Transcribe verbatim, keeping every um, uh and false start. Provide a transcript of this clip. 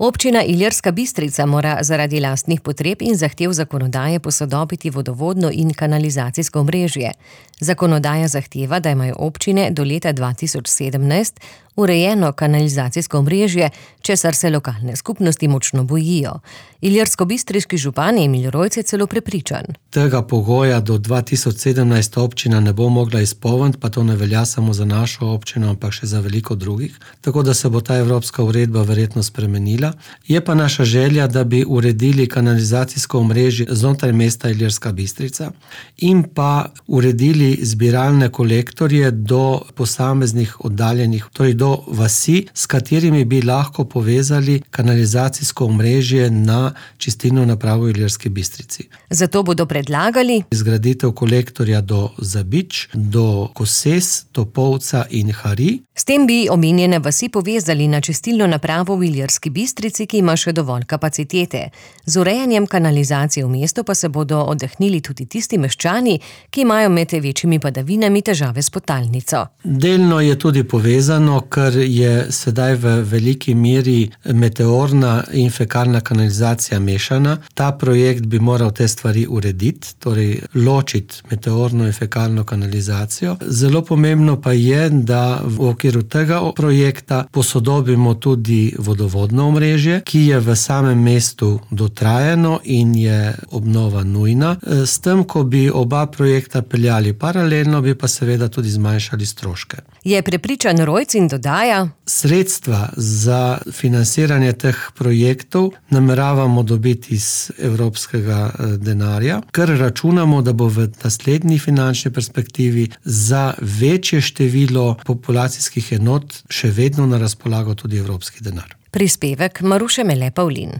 Občina Ilirska Bistrica mora zaradi lastnih potreb in zahtev zakonodaje posodobiti vodovodno in kanalizacijsko omrežje. Zakonodaja zahteva, da imajo občine do leta dva tisoč sedemnajst urejeno kanalizacijsko omrežje, česar se lokalne skupnosti močno bojijo. Ilirskobistriški župan Emil Rojc je celo prepričan. Tega pogoja do dva tisoč sedemnajst občina ne bo mogla izpolniti, pa to ne velja samo za našo občino, ampak še za veliko drugih. Tako da se bo ta evropska uredba verjetno spremenila. Je pa naša želja, da bi uredili kanalizacijsko omrežje znotraj mesta Ilirska Bistrica in pa uredili zbiralne kolektorje do posameznih oddaljenih, torej do vasi, s katerimi bi lahko povezali kanalizacijsko omrežje na čistilno napravo v Ilirski Bistrici. Zato bodo predlagali zgraditev kolektorja do Zabič, do Koses, Topolca in Hari. S tem bi omenjene vasi povezali na čistilno napravo v Ilirski Bistrici, ki ima še dovolj kapacitete. Z urejanjem kanalizacije v mestu pa se bodo oddahnili tudi tisti meščani, ki imajo med večjimi padavinami težave s podtalnico. Delno je tudi povezano, ker je sedaj v veliki meri meteorna in fekalna kanalizacija mešana. Ta projekt bi moral te stvari urediti, torej ločiti meteorno in fekalno kanalizacijo. Zelo pomembno pa je, da v okviru tega projekta posodobimo tudi vodovodno omrežje, ki je v samem mestu dotrajano in je obnova nujna. S tem, ko bi oba projekta peljali paralelno, bi pa seveda tudi zmanjšali stroške. Je prepričan Rojc in dodaja: Sredstva za financiranje teh projektov nameravamo dobiti iz evropskega denarja, ker računamo, da bo v naslednji finančni perspektivi za večje število populacijskih enot še vedno na razpolago tudi evropski denar. Prispevek Maruše Mele Pavlin.